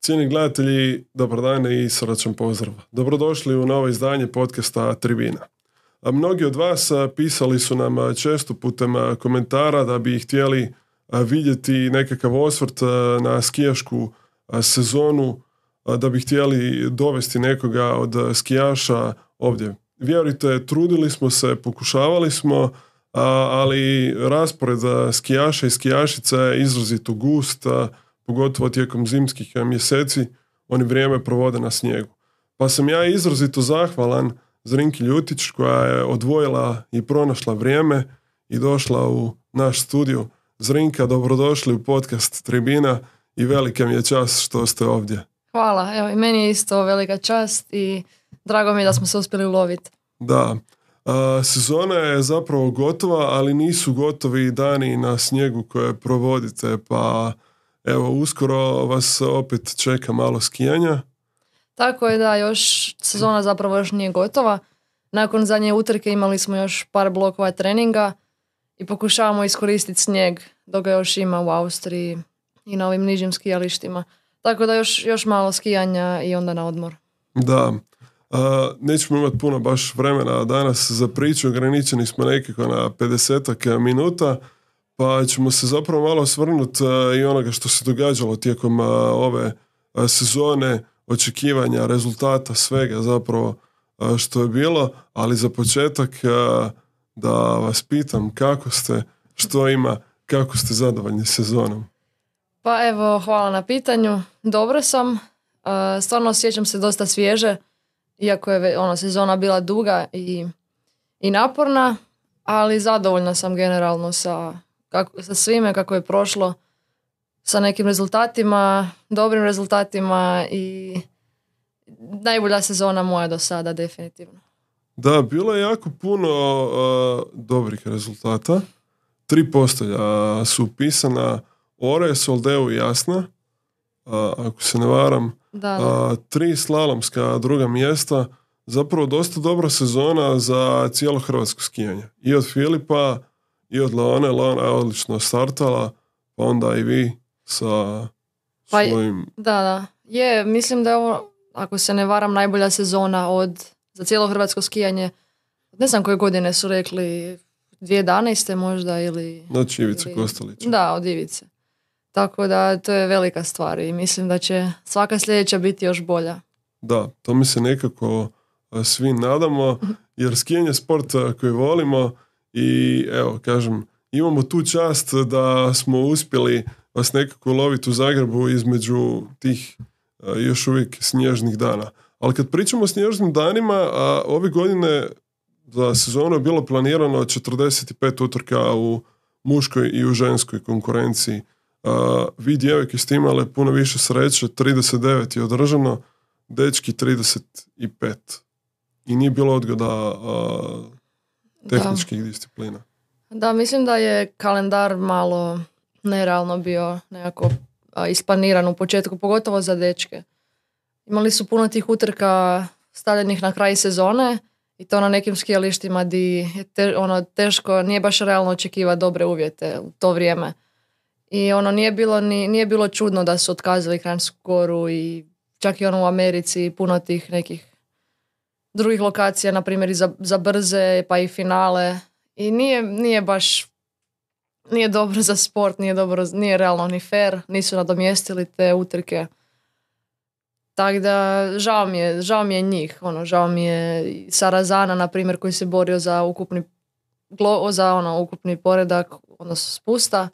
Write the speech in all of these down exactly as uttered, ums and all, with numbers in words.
Cijeni gledatelji, dobar dan i srdačan pozdrav. Dobrodošli u novo izdanje podcasta Tribina. A mnogi od vas pisali su nam često putem komentara da bi htjeli vidjeti nekakav osvrt na skijašku sezonu, da bi htjeli dovesti nekoga od skijaša ovdje. Vjerujte, trudili smo se, pokušavali smo, ali raspored skijaša i skijašica je izrazito gust, pogotovo tijekom zimskih mjeseci, oni vrijeme provode na snijegu. Pa sam ja izrazito zahvalan Zrinki Ljutić koja je odvojila i pronašla vrijeme i došla u naš studio. Zrinka, dobrodošli u podcast Tribina i velika mi je čast što ste ovdje. Hvala, evo i meni je isto velika čast i drago mi je da smo se uspjeli uloviti. Da, a, sezona je zapravo gotova, ali nisu gotovi dani na snijegu koje provodite, pa evo, uskoro vas opet čeka malo skijanja. Tako je da, još sezona zapravo još nije gotova. Nakon zadnje utrke imali smo još par blokova treninga i pokušavamo iskoristiti snijeg dok ga još ima u Austriji i na ovim nižim skijalištima. Tako da još, još malo skijanja i onda na odmor. Da, a, nećemo imati puno baš vremena danas za priču, ograničeni smo nekako na pedesetak minuta. Pa ćemo se zapravo malo osvrnuti i onoga što se događalo tijekom ove sezone, očekivanja, rezultata, svega zapravo što je bilo, ali za početak da vas pitam kako ste, što ima, kako ste zadovoljni sezonom. Pa evo, hvala na pitanju. Dobro sam, stvarno osjećam se dosta svježe, iako je ona sezona bila duga i, i naporna, ali zadovoljna sam generalno sa Kako, sa svime kako je prošlo, sa nekim rezultatima, dobrim rezultatima i najbolja sezona moja do sada, definitivno. Da, bilo je jako puno uh, dobrih rezultata. Tri postolja su upisana, Ore, Soldeu i Jasna, uh, ako se ne varam. Da, da. Uh, tri slalomska druga mjesta, zapravo dosta dobra sezona za cijelo hrvatsko skijanje. I od Filipa i od Leone, Leona je odlično startala, pa onda i vi sa pa, svojim... Da, da. Je, mislim da je ovo, ako se ne varam, najbolja sezona od, za cijelo hrvatsko skijanje. Ne znam koje godine su rekli, dvije tisuće jedanaeste možda ili... Znači Ivice ili, Kostelića. Da, od Ivice. Tako da to je velika stvar i mislim da će svaka sljedeća biti još bolja. Da, to mi se nekako svi nadamo, jer skijanje je sport koji volimo. I evo, kažem, imamo tu čast da smo uspjeli vas nekako loviti u Zagrebu između tih a, još uvijek snježnih dana. Ali kad pričamo o snježnim danima, a, ove godine za sezonu je bilo planirano četrdeset pet utrka u muškoj i u ženskoj konkurenciji. A, vi djevojke ste imale puno više sreće, trideset devet je održano, dečki trideset pet. I nije bilo odgoda... A, tehničkih da. disciplina. Da, mislim da je kalendar malo nerealno bio nekako a, isplaniran u početku, pogotovo za dečke. Imali su puno tih utrka stavljenih na kraj sezone i to na nekim skijalištima di je te, ono, teško, nije baš realno očekivati dobre uvjete u to vrijeme. I ono nije bilo, ni, nije bilo čudno da su otkazali Kranjsku Goru i čak i ono u Americi puno tih nekih drugih lokacija, na primjer i za, za brze, pa i finale. I nije, nije baš, nije dobro za sport, nije dobro, nije realno ni fair, nisu nadomjestili te utrke. Tako da, žao mi je, žao mi je njih, ono, žao mi je Sarazana, na primjer, koji se borio za ukupni, za ono, ukupni poredak, odnosno spusta,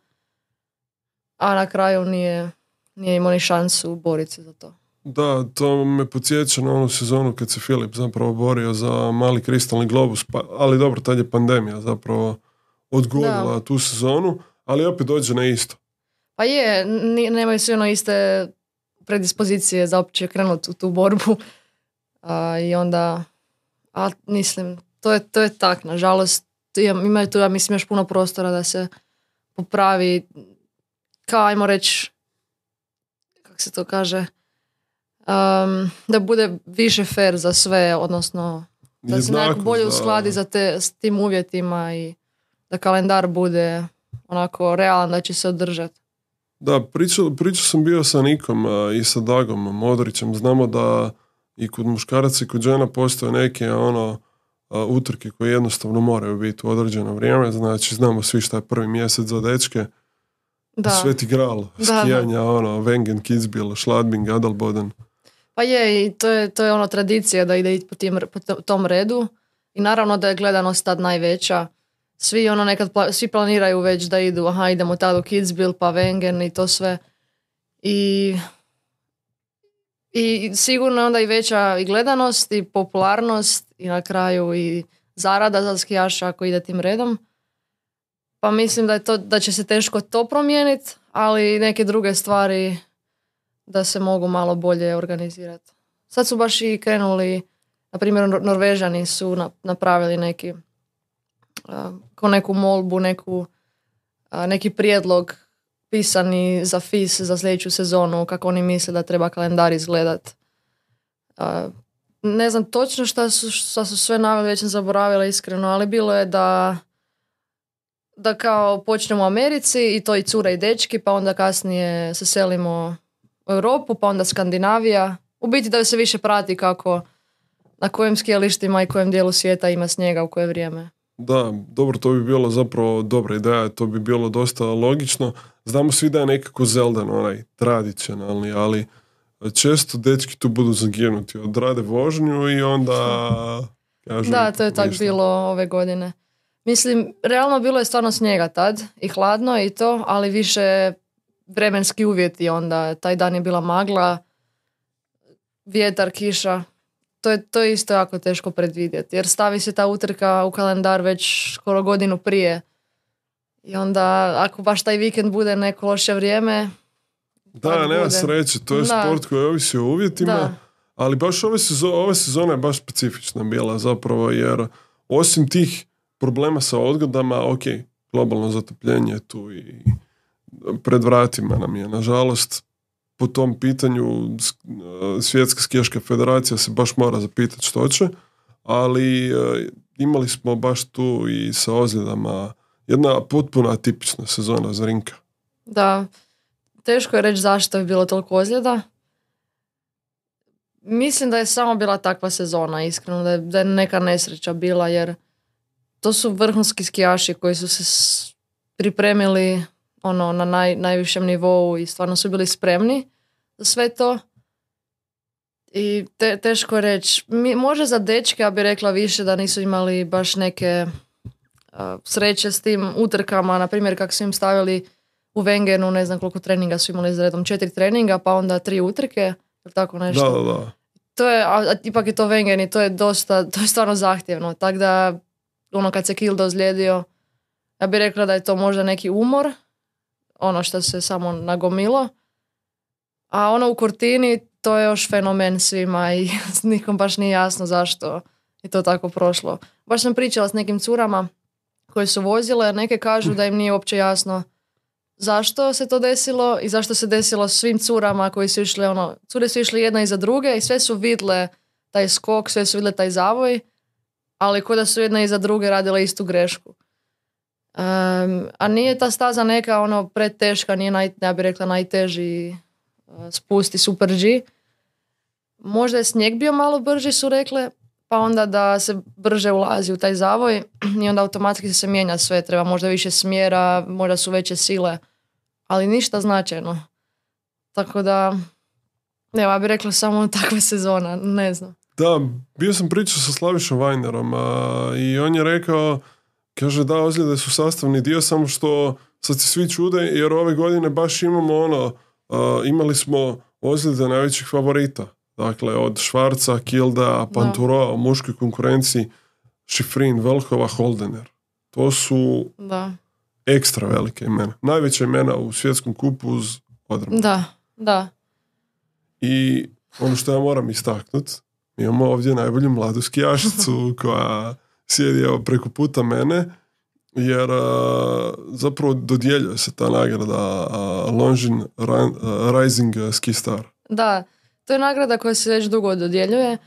a na kraju nije, nije imao ni šansu boriti se za to. Da, to me podsjeća na onu sezonu kad se Filip zapravo borio za mali kristalni globus, pa, ali dobro, tad je pandemija zapravo odgodila da. tu sezonu, ali opet dođe na isto. Pa je, nemaju svi ono iste predispozicije za opće krenuti u tu borbu a, i onda, a mislim, to je, to je tak, nažalost, imaju tu, ja mislim, još puno prostora da se popravi, kao, ajmo reći, kako se to kaže, Um, da bude više fair za sve, odnosno da se nekako bolje uskladi za te, s tim uvjetima i da kalendar bude onako realan da će se održati. Da, pričao, pričao sam bio sa Nikom a, i sa Dagom Modrićem. Znamo da i kod muškaraca i kod žena postoje neke ono a, utrke koje jednostavno moraju biti u određeno vrijeme. Znači, znamo svi šta je prvi mjesec za dečke. Da. Sveti gral, Da, skijanja, da. ono, Wengen, Kitzbühel, Schladming, Adelboden. Pa je, i to je, to je ono tradicija da ide po, tim, po to- tom redu. I naravno da je gledanost tad najveća. Svi ono nekad, pla- svi planiraju već da idu, aha, idemo tad u Kitzbühel, pa Wengen i to sve. I, i sigurno je onda i veća i gledanost i popularnost i na kraju i zarada za skijaša ako ide tim redom. Pa mislim da, je to, da će se teško to promijeniti, ali neke druge stvari da se mogu malo bolje organizirati. Sad su baš i krenuli, na primjer Nor- Norvežani su na- napravili neki a, ko neku molbu, neku, a, neki prijedlog pisani za F I S za sljedeću sezonu, kako oni misle da treba kalendar izgledat. A, ne znam točno šta su, šta su sve naveli, već sam zaboravila iskreno, ali bilo je da da kao počnemo u Americi i to i cure i dečki, pa onda kasnije se selimo u Europu, pa onda Skandinavija. U biti da se više prati kako na kojim skijalištima i kojem dijelu svijeta ima snijega u koje vrijeme. Da, dobro, to bi bilo zapravo dobra ideja, to bi bilo dosta logično. Znamo svi da je nekako Zeldan onaj tradicionalni, ali često dečki tu budu zaginuti, odrade vožnju i onda kažu... Da, to je tako ništa. bilo ove godine. Mislim, realno bilo je stvarno snijega tad i hladno i to, ali više vremenski uvjeti onda. Taj dan je bila magla, vjetar, kiša. To je, to je isto jako teško predvidjeti, jer stavi se ta utrka u kalendar već skoro godinu prije. I onda, ako baš taj vikend bude neko loše vrijeme... Da, tak nema bude. sreće, to je Da. sport koji ovisi o uvjetima, Da. ali baš ove sezone, ove sezone je baš specifična bila zapravo, jer osim tih problema sa odgodama, ok, globalno zatopljenje je tu i pred vratima nam je, nažalost, po tom pitanju s- Svjetska skijaška federacija se baš mora zapitati što će, ali e, imali smo baš tu i sa ozljedama jedna potpuno atipična sezona za Rinka. Da, teško je reći zašto je bilo toliko ozljeda. Mislim da je samo bila takva sezona, iskreno, da je, da je neka nesreća bila, jer to su vrhunski skijaši koji su se s- pripremili ono, na naj, najvišem nivou i stvarno su bili spremni za sve to. I te, teško je reći. Mi- Može za dečke, ja bih rekla više da nisu imali baš neke a, sreće s tim utrkama, na primjer kako su im stavili u Wengenu, ne znam koliko treninga su imali za redom, četiri treninga, pa onda tri utrke, ili tako nešto. Da, da, da. To je, a, a ipak je to Wengen i to je dosta, to je stvarno zahtjevno, tako da ono kad se Kilde ozlijedio, ja bih rekla da je to možda neki umor, ono što se samo nagomilo, a ono u Cortini, to je još fenomen svima i nikom baš nije jasno zašto je to tako prošlo. Baš sam pričala s nekim curama koje su vozile, neke kažu da im nije uopće jasno zašto se to desilo i zašto se desilo svim curama koji su išli, ono, cure su išli jedna iza druge i sve su vidle taj skok, sve su vidle taj zavoj, ali ko da su jedna iza druge radile istu grešku. Um, a nije ta staza neka ono preteška, nije naj, ja bih rekla najteži uh, spusti Super G. Možda je snijeg bio malo brži, su rekle, pa onda da se brže ulazi u taj zavoj i onda automatski se mijenja sve, treba možda više smjera, možda su veće sile, ali ništa značajno. Tako da, evo, ja bih rekla samo takva sezona, ne znam. Da, bio sam pričao sa Slavišom Vajnerom a, i on je rekao, kaže da, ozljede su sastavni dio, samo što sad se svi čude jer ove godine baš imamo ono, a, imali smo ozljede najvećih favorita. Dakle, od Švarca, Kilda, Panturoa, u muškoj konkurenciji, Šifrin, Velhova, Holdener. To su Da, ekstra velike imena. Najveća imena u svjetskom kupu uz odrmu. da, da. I ono što ja moram istaknuti, mi imamo ovdje najbolju mladu skijašicu koja sjedi evo preko puta mene, jer a, zapravo dodjeljuje se ta nagrada a, Longines Ran- a, Rising Ski Star. Da, to je nagrada koja se već dugo dodjeljuje.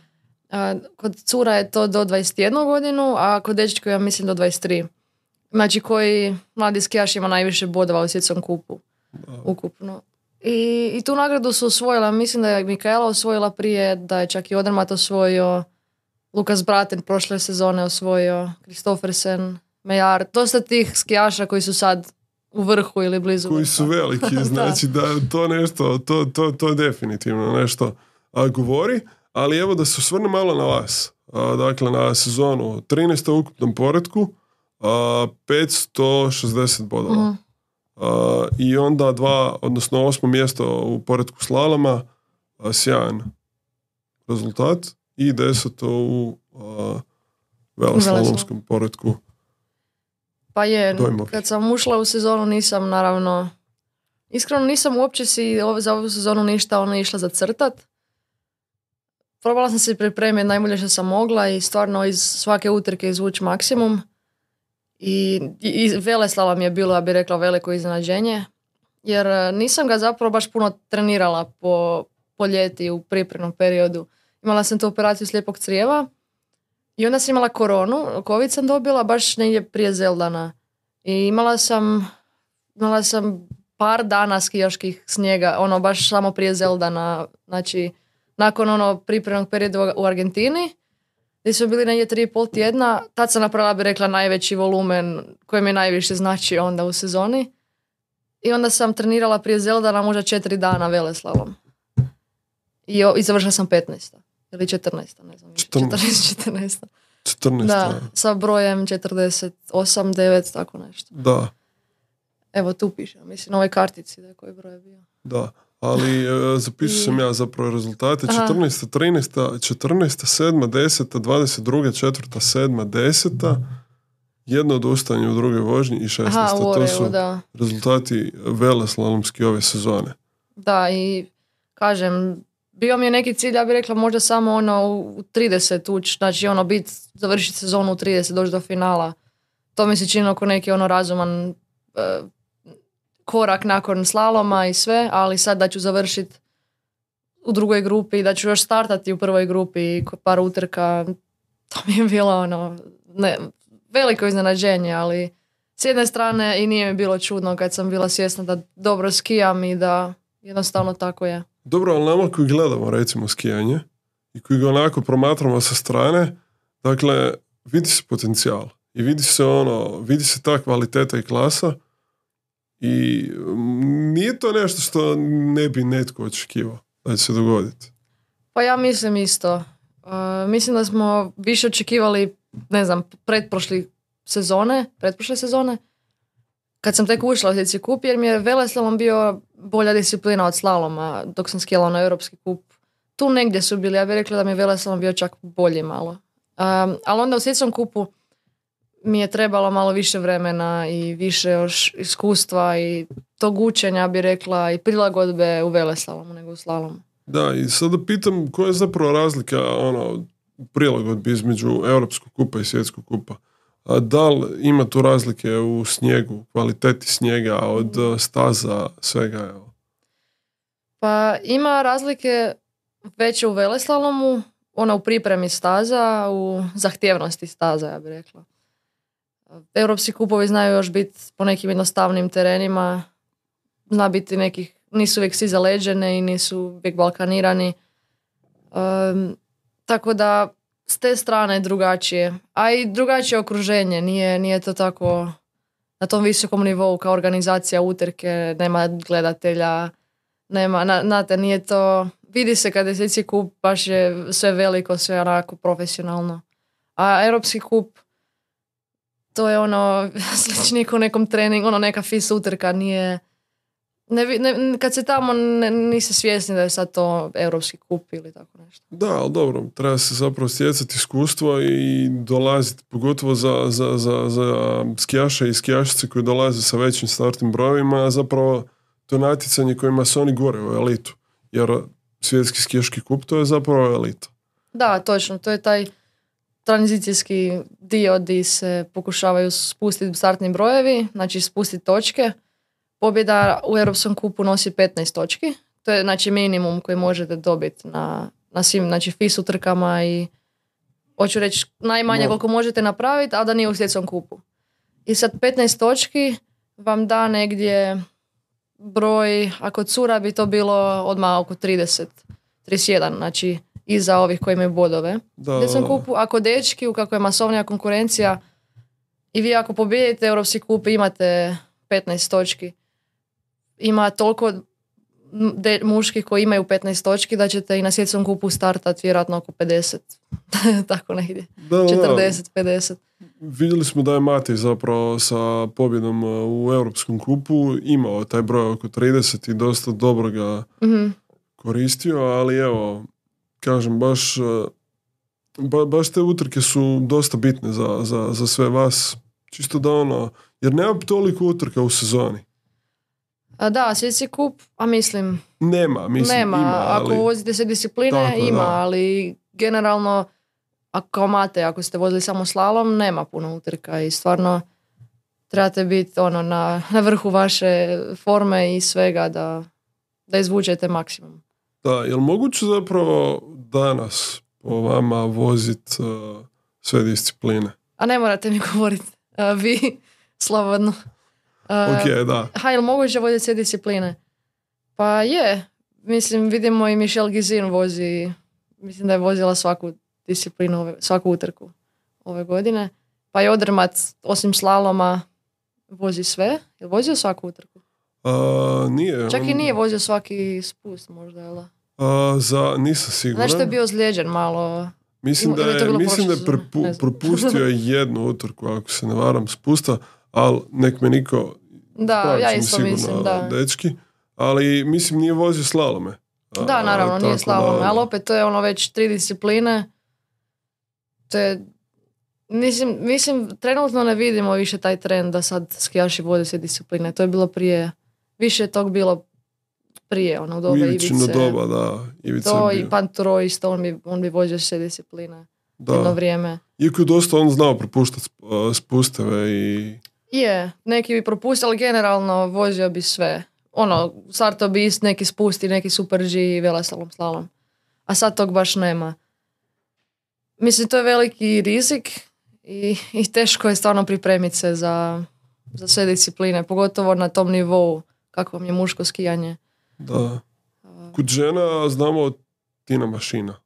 A, kod cura je to do dvadeset jednu godinu, a kod dečka ja mislim do dvadeset tri. Znači koji mladi skijaš ima najviše bodova u svjetskom kupu. ukupno. I, I tu nagradu su osvojila, mislim da je Mikaela osvojila prije, da je čak i Odermatt osvojio, Lukas Braten prošle sezone osvojio, Kristoffersen, Mejar, dosta tih skijaša koji su sad u vrhu ili blizu. Koji su veliki, znači da to nešto, to, to, to definitivno nešto a, govori, ali evo da se osvrne malo na vas. A, dakle, na sezonu trinaesta u ukupnom poretku, a, petsto šezdeset bodova. Mm. A, I onda dva, odnosno osmo mjesto u poretku slaloma, a, sjajan rezultat, i deseto u a, veloslalomskom poretku. Pa je, dojmovi. Kad sam ušla u sezonu nisam naravno, iskreno nisam uopće si za ovu sezonu ništa ono išla zacrtat. Probala sam se pripremiti najbolje što sam mogla i stvarno iz svake utrke izvući maksimum. I, i, i Veleslalom je bilo, ja bih rekla, veliko iznenađenje. Jer nisam ga zapravo baš puno trenirala po, po ljeti u pripremnom periodu. Imala sam tu operaciju slijepog crijeva i onda sam imala koronu, covid sam dobila baš negdje prije Zeldana. I imala sam, imala sam par dana skijaških snijega, ono baš samo prije Zeldana, znači nakon ono pripremnog perioda u Argentini, gdje su bili negdje tri i pol tjedna, tad sam napravila, bi rekla, najveći volumen koji mi najviše znači onda u sezoni. I onda sam trenirala prije Zeldana možda četiri dana veleslalom. I, i završila sam petnaesta ili četrnaesta, ne znam. četrnaesta, četrnaesta. četrnaesta. Da, sa brojem četrdeset osam, devet, tako nešto. Da. Evo tu piše, mislim na ovoj kartici da je koji broj je bio. Da, ali e, zapisao sam ja zapravo rezultate. četrnaesta, trinaesta, četrnaesta, sedma, deseta, dvadeset druga, četvrta, sedma, deseta, jedno odustajanje u drugoj vožnji i šesnaesta. Aha, u Oreu, to su da. Rezultati veleslalomski ove sezone. Da, i kažem, bio mi je neki cilj, ja bih rekla možda samo ono u trideset ući, znači ono bit, završiti sezonu u trideset, doći do finala. To mi se čini oko neki ono razuman uh, korak nakon slaloma i sve, ali sad da ću završiti u drugoj grupi, da ću još startati u prvoj grupi i par utrka, to mi je bilo ono, ne, veliko iznenađenje, ali s jedne strane i nije mi bilo čudno kad sam bila svjesna da dobro skijam i da jednostavno tako je. Dobro, ali nama koji gledamo recimo skijanje i koji ga onako promatramo sa strane, dakle, vidi se potencijal i vidi se ono, vidi se ta kvaliteta i klasa i nije to nešto što ne bi netko očekivao da će se dogoditi. Pa ja mislim isto. Uh, mislim da smo više očekivali, ne znam, pretprošli sezone, pretprošle sezone, kad sam tek ušla u svjetski kup, jer mi je veleslalom bio bolja disciplina od slaloma dok sam skijala na europski kup. Tu negdje su bili, ja bih rekla da mi je veleslalom bio čak bolji malo. Um, ali onda u svjetskom kupu mi je trebalo malo više vremena i više još iskustva i tog učenja, bi rekla, i prilagodbe u veleslalomu nego u slalomu. Da, i sada pitam koja je zapravo razlika ono, prilagodbi između europskog kupa i svjetskog kupa. A da li ima tu razlike u snijegu, kvaliteti snijega od staza, svega? Evo? Pa ima razlike veće u veleslalomu, ona u pripremi staza, u zahtjevnosti staza, ja bih rekla. Europski kupovi znaju još biti po nekim jednostavnim terenima, zna biti nekih, nisu uvijek svi zaleđene i nisu uvijek balkanirani. Um, tako da s te strane drugačije. A i drugačije okruženje, nije, nije to tako na tom visokom nivou kao organizacija utrke, nema gledatelja, nema, na, znate, nije to, vidi se kada je svjetski kup, baš je sve veliko, sve onako profesionalno. A europski kup, to je ono, sličnije u nekom treningu, ono neka fis utrka, nije, ne, ne, kad se tamo ne, nisi svjesni da je sad to europski kup ili tako nešto. Da, ali dobro, treba se zapravo stjecati iskustvo i dolaziti, pogotovo za, za, za, za skijaše i skijašice koji dolaze sa većim startnim brojevima, a zapravo to je natjecanje kojima su oni gore u elitu, jer svjetski skijaški kup to je zapravo elita. Da, točno, to je taj tranzicijski dio gdje se pokušavaju spustiti startni brojevi, znači spustiti točke. Pobjeda u Europskom kupu nosi petnaest točki. To je znači minimum koji možete dobiti na, na svim znači, fis utrkama i hoću reći najmanje no. koliko možete napraviti, a da nije u svjetskom kupu. I sad petnaest točki vam da negdje broj, ako cura bi to bilo odmah oko trideset, trideset jedan, znači iza ovih koji imaju bodove. Da, Gdje sam kupu, ako dečki, kako je masovnija konkurencija, i vi ako pobijedite Europski kup imate petnaest točki. Ima toliko de, muških koji imaju petnaest točki da ćete i na svjetskom kupu startati vjerojatno oko pedeset. Tako negdje. da, četrdeset pedeset. Vidjeli smo da je Matej zapravo sa pobjedom u Europskom kupu imao taj broj oko trideset i dosta dobro ga Mm-hmm. koristio, ali evo, kažem, baš, ba, baš te utrke su dosta bitne za, za, za sve vas. Čisto da ono, jer nema toliko utrka u sezoni. A da, svjetski kup, a mislim, Nema, mislim, nema. ima, ali... Ako vozite se discipline, Tako, ima, da. ali generalno, ako kao Mate, ako ste vozili samo slalom, nema puno utrka i stvarno trebate biti ono, na, na vrhu vaše forme i svega da, da izvučete maksimum. Da, je li moguće zapravo danas po vama vozit uh, sve discipline? A ne morate mi govoriti, uh, vi, slobodno. Uh, Ok, da. Ha, je li moguće voziti sve discipline? Pa je. Mislim, vidimo i Michelle Gizin vozi, mislim da je vozila svaku disciplinu, ove, svaku utrku ove godine. Pa i Odermatt, osim slaloma, vozi sve. Je li vozio svaku utrku? Uh, nije. Čak on- i nije vozio svaki spust možda, jel? da? Uh, za, nisam siguran. Znaš što je bio ozlijeđen malo. Mislim da ili je to je, bilo mislim da je prošle sezone? prepu- Ne znam. propustio je jednu utrku, ako se ne varam, spusta, ali nek me niko Da, ispravit ja će me isto sigurno, mislim, da. dečki, ali mislim nije vozio slalome. A, Da, naravno, nije tako slalom, da- ali opet to je ono već tri discipline. To je, mislim, mislim, trenutno ne vidimo više taj trend da sad skijaši vode sve discipline. To je bilo prije, više je tog bilo prije, ono, u U doba Ivićino Ivice. doba, da. Ivica To je i bio. Panturo isto, on bi, on bi vozio sve discipline jedno Da. vrijeme. Iako je dosta on znao propuštati spusteve i... Je, neki bi propustili, ali generalno vozio bi sve. Ono, startao bi ist, neki spusti, neki super G i veleslalom, slalom. A sad tog baš nema. Mislim, to je veliki rizik i, i teško je stvarno pripremiti se za, za sve discipline, pogotovo na tom nivou kako vam je muško skijanje. Da. Kod žena znamo Tina Mašina.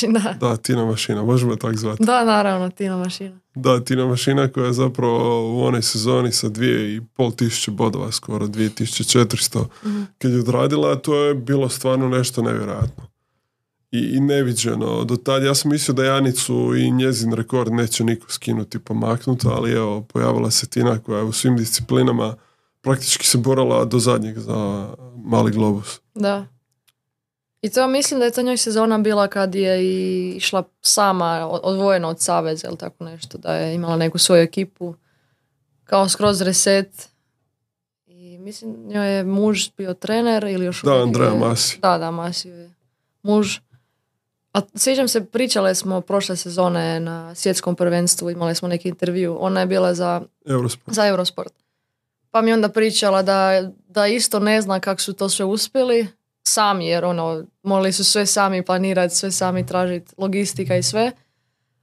Da, Da, Tina Mašina, možemo je tak zvati. da naravno, Tina Mašina. Da, Tina Mašina koja je zapravo u onoj sezoni sa dvije i pol tisuće bodova, skoro dvije tisuće četiristo, Mhm. kad je odradila, to je bilo stvarno nešto nevjerojatno. I, i neviđeno. Do tad ja sam mislio da Janicu i njezin rekord neće niko skinuti pomaknuti, ali evo, pojavila se Tina koja je u svim disciplinama praktički se borala do zadnjeg za mali globus. Da. I to mislim da je to njoj sezona bila kad je i išla sama, o- odvojena od saveza ili tako nešto, da je imala neku svoju ekipu, kao skroz reset. I mislim njoj je muž bio trener ili još Da, uvijek Andreja je- Masi. Da, da, Masi je muž. A sjećam se, pričale smo prošle sezone na svjetskom prvenstvu, imali smo neki intervju, ona je bila za Eurosport. za Eurosport. Pa mi je onda pričala da, da isto ne zna kako su to sve uspjeli sami, jer ono, morali su sve sami planirati, sve sami tražiti, logistika i sve.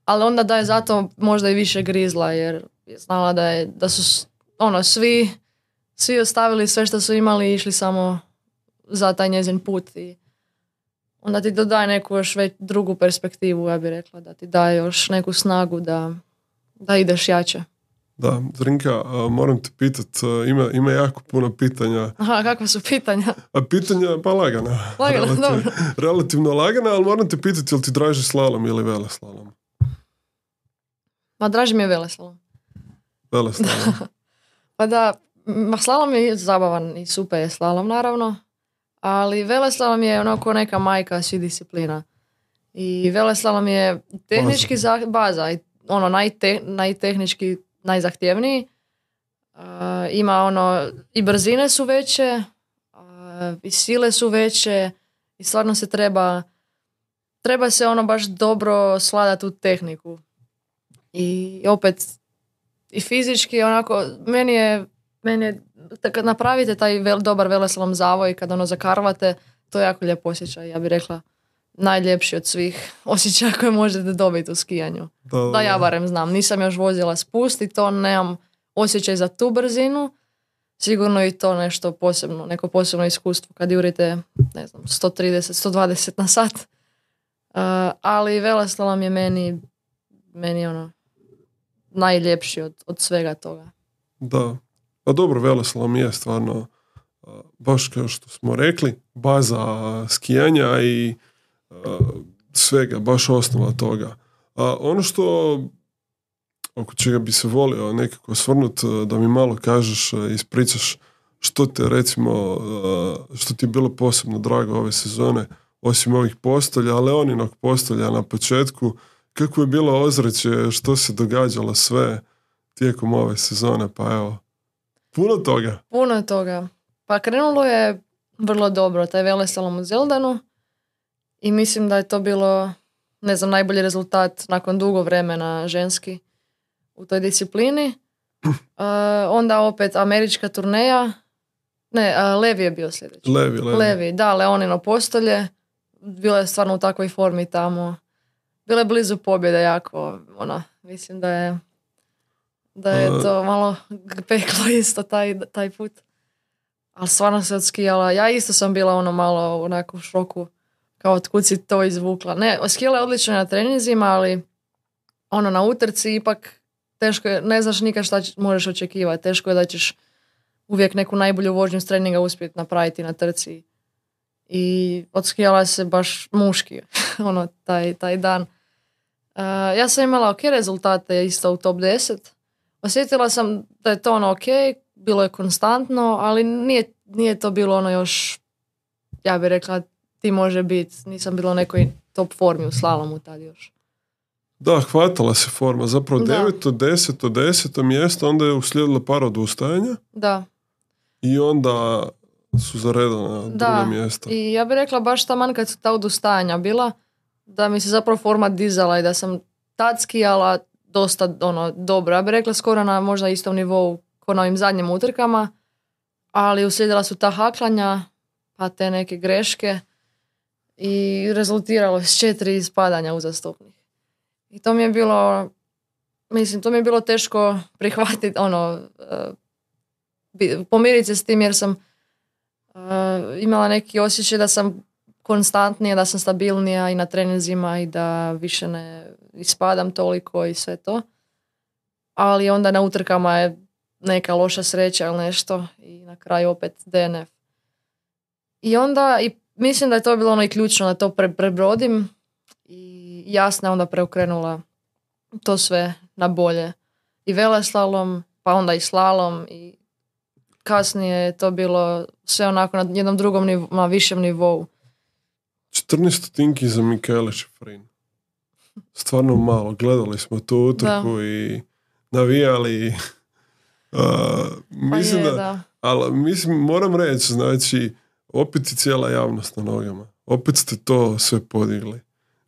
Ali onda da je zato možda i više grizla, jer je znala da, je, da su s- ono, svi, svi ostavili sve što su imali i išli samo za taj njezin put. I onda ti dodaje neku još već drugu perspektivu, ja bih rekla, da ti daje još neku snagu da, da ideš jače. Da, Zrinka, a, moram te pitat, a, ima, ima jako puno pitanja. Aha, kakva su pitanja? A pitanja, pa lagana. Lagana, Relativ- dobro. Relativno lagana, ali moram te pitati, jel ti draži slalom ili veleslalom? Ma draži mi je veleslalom. Veleslalom. Pa da, ma slalom je zabavan i super je slalom naravno, ali veleslalom je onako neka majka svih disciplina. I veleslalom je tehnički baza, baza i ono najte, najtehnički najzahtjevniji. Uh, ima ono, i brzine su veće, uh, i sile su veće i stvarno se treba treba se ono baš dobro sladati u tehniku. I opet i fizički onako, meni je, meni je kad napravite taj vel, dobar veleslalom zavoj, kad ono zakarvate, to je jako lijep osjećaj, ja bih rekla najljepši od svih osjećaja koje možete dobiti u skijanju. Da, Da, ja barem znam, nisam još vozila spust i to nemam osjećaj za tu brzinu, sigurno i to nešto posebno, neko posebno iskustvo kad jurite, ne znam, sto trideset, sto dvadeset na sat. Uh, ali veleslalom je meni, meni ono, najljepši od, od svega toga. Da, pa dobro, veleslalom je stvarno, baš kao što smo rekli, baza skijanja i uh, svega, baš osnova toga. A ono što, oko čega bi se volio nekako osvrnuti, da mi malo kažeš, ispričaš što te recimo, što ti je bilo posebno drago ove sezone, osim ovih postolja, ali Leoninog postolja na početku, kako je bilo ozračje, što se događalo sve tijekom ove sezone, pa evo, puno toga. Puno toga. Pa krenulo je vrlo dobro, taj veleslalom u Zeldanu i mislim da je to bilo, ne znam, najbolji rezultat nakon dugo vremena ženski u toj disciplini. Uh, onda opet američka turneja, ne, uh, Levi je bio sljedeći. Levi, Levi. Levi, da, Leonino postolje, bilo je stvarno u takvoj formi tamo. Bilo je blizu pobjede jako, ona, mislim da je da je uh, to malo peklo isto taj, taj put. Ali stvarno se odskijala. Ja isto sam bila ono malo onako u šoku, kao otkud si to izvukla. Ne, skijala je odlično na treninzima, ali ono na utrci ipak teško je, ne znaš nikad šta možeš očekivati. Teško je da ćeš uvijek neku najbolju vožnju s treninga uspjeti napraviti na trci. I odskijala se baš muški ono, taj, taj dan. Uh, ja sam imala ok rezultate isto u top deset. Osjetila sam da je to ono ok, bilo je konstantno, ali nije, nije to bilo ono još, ja bih rekla, ti može biti. Nisam bila u nekoj top formi u slalomu tad još. Da, hvatala se forma. Zapravo deveto, deseto, deseto mjesto, onda je uslijedilo par odustajanja. Da. I onda su zaredana druga mjesta. I ja bih rekla baš taman kad su ta odustajanja bila, da mi se zapravo forma dizala i da sam tad skijala dosta ono, dobro. Ja bih rekla skoro na možda istom nivou ko na ovim zadnjim utrkama, ali uslijedila su ta haklanja, pa te neke greške i rezultiralo s četiri ispadanja uzastopnih. I to mi je bilo, mislim, to mi je bilo teško prihvatiti, ono, uh, pomiriti se s tim jer sam uh, imala neki osjećaj da sam konstantnija, da sam stabilnija i na treninzima i da više ne ispadam toliko i sve to. Ali onda na utrkama je neka loša sreća ili nešto i na kraju opet D N F. I onda, i mislim da je to bilo ono i ključno da to pre, prebrodim i Jasna onda preokrenula to sve na bolje. I veleslalom, pa onda i slalom i kasnije je to bilo sve onako na jednom drugom nivou, na višem nivou. četrnaest stotinki za Michaela Schifrin. Stvarno malo. Gledali smo tu utrku da. I navijali. Uh, mislim pa je, da, da. Ali mislim, moram reći, znači, opet i cijela javnost na nogama. Opet ste to sve podigli.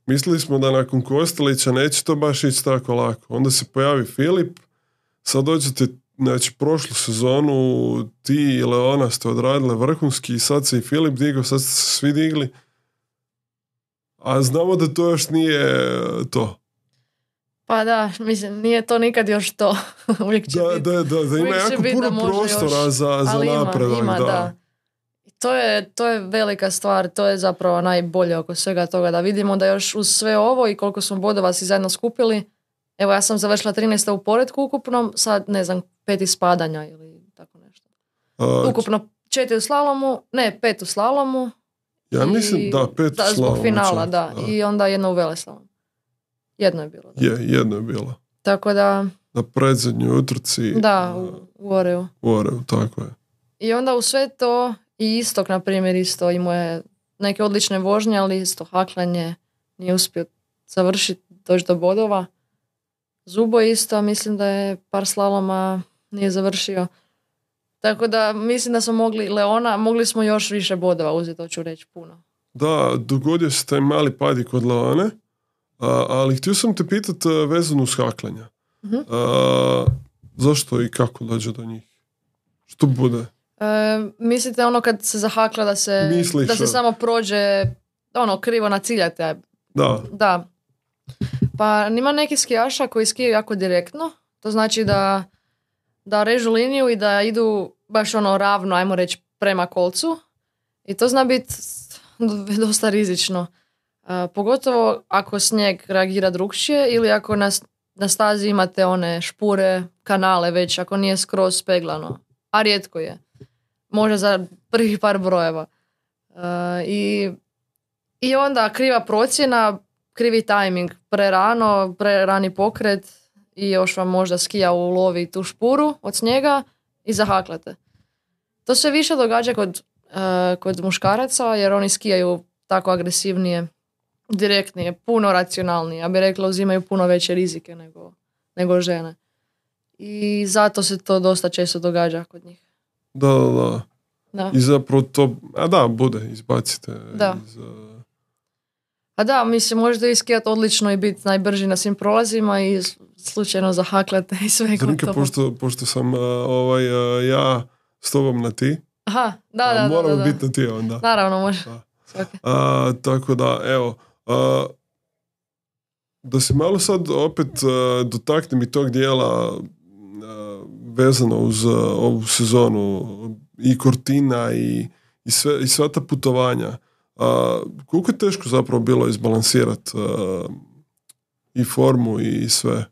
Mislili smo da nakon Kostelića neće to baš ići tako lako. Onda se pojavi Filip, sad dođete, znači, prošlu sezonu ti i Leona ste odradile vrhunski i sad se i Filip digao, sad ste se svi digli. A znamo da to još nije to. Pa da, mislim, nije to nikad još to. Uvijek će da, biti. Da, da, da ima jako puno prostora još, za, za napredak. Ima, da. da. To je, to je velika stvar, to je zapravo najbolje oko svega toga, da vidimo da još uz sve ovo i koliko smo bodova si zajedno skupili, evo ja sam završila trinaesta u poretku ukupnom, sad ne znam, pet ispadanja ili tako nešto. A, ukupno četiri u slalomu, ne, pet u slalomu. Ja mislim, da, pet da, u slalomu. Zbog finala, da, da, i onda jedno u veleslalom. Jedno je bilo. Da. Je, jedno je bilo. Tako da... Na predzadnjoj utrci. Da, u, u Oreu. U Oreu, tako je. I onda u sve to i Istok, na primjer, isto imao je neke odlične vožnje, ali isto haklanje nije uspio završiti, doći do bodova. Zubo isto, mislim da je par slaloma nije završio. Tako da mislim da smo mogli, Leona, mogli smo još više bodova uzeti, to ću reći puno. Da, dogodio se taj mali pad kod Leone, a, ali htio sam te pitati vezano uz haklanja. Uh-huh. A, zašto i kako dođe do njih? Što bude? E, mislite ono kad se zahakla da se, Misliš, da se samo prođe ono krivo naciljate? Da. Da. Pa ima neki skijaša koji skijaju jako direktno. To znači da, da režu liniju i da idu baš ono ravno, ajmo reći, prema kolcu. I to zna biti dosta rizično. Uh, pogotovo ako snijeg reagira drukčije ili ako na, na stazi imate one špure, kanale već, ako nije skroz speglano. A rijetko je. Možda za prvih par brojeva. Uh, i, I onda kriva procjena, krivi tajming, prerano, prerani pokret i još vam možda skija ulovi tu špuru od snijega i zahaklate. To se više događa kod, uh, kod muškaraca jer oni skijaju tako agresivnije, direktnije, puno racionalnije. Ja bih rekla uzimaju puno veće rizike nego, nego žene. I zato se to dosta često događa kod njih. Da, da, da. Da. I zapravo to, a da, bude, izbacite. Da. Iz, uh... A da, mislim, možete iskijati odlično i biti najbrži na svim prolazima i slučajno zahaklate i sve. Zrnke, pošto, pošto sam uh, ovaj, uh, ja s tobom na ti, aha, da, da, moramo da, da, da. biti na ti onda. Naravno, može. Da. Okay. Uh, tako da, evo, uh, da se malo sad opet uh, dotaknem i tog dijela uh, vezano uz uh, ovu sezonu i Cortina i, i, sve, i sva ta putovanja. Uh, koliko je teško zapravo bilo izbalansirati uh, i formu i sve?